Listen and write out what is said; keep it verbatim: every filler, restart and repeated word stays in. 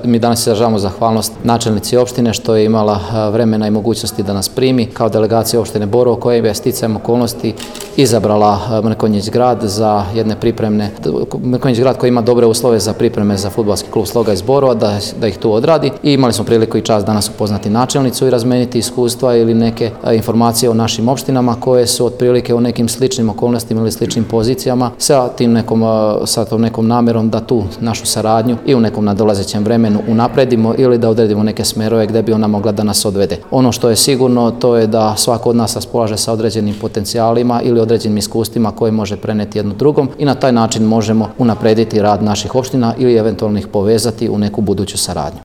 mi danas izražavamo zahvalnost načelnici opštine što je imala vremena i mogućnosti da nas primi kao delegacija opštine Borovo koja je sticajem okolnosti izabrala Mrkonjić grad za jedne pripremne, Mrkonjić grad koji ima dobre uslove za pripreme za fudbalski klub Sloga iz Borova, da, da ih tu odradi i imali smo priliku i čast danas upoznati načelnicu i razmeniti iskustva ili neke informacije o našim opštinama koje su otprilike u nekim sličnim okolnostima ili sličnim pozicijama sa tim nekom, sa tom nekom namerom da tu našu saradnju i u nekom nadolazećem vremenu unapredimo ili da odredimo neke smerove gde bi ona mogla da nas odvede. Ono što je sigurno to je da svako od nas raspolaže sa određenim potencijalima ili određenim iskustvima koje može preneti jedno drugom i na taj način možemo unaprediti rad naših opština ili eventualno ih povezati u neku buduću saradnju.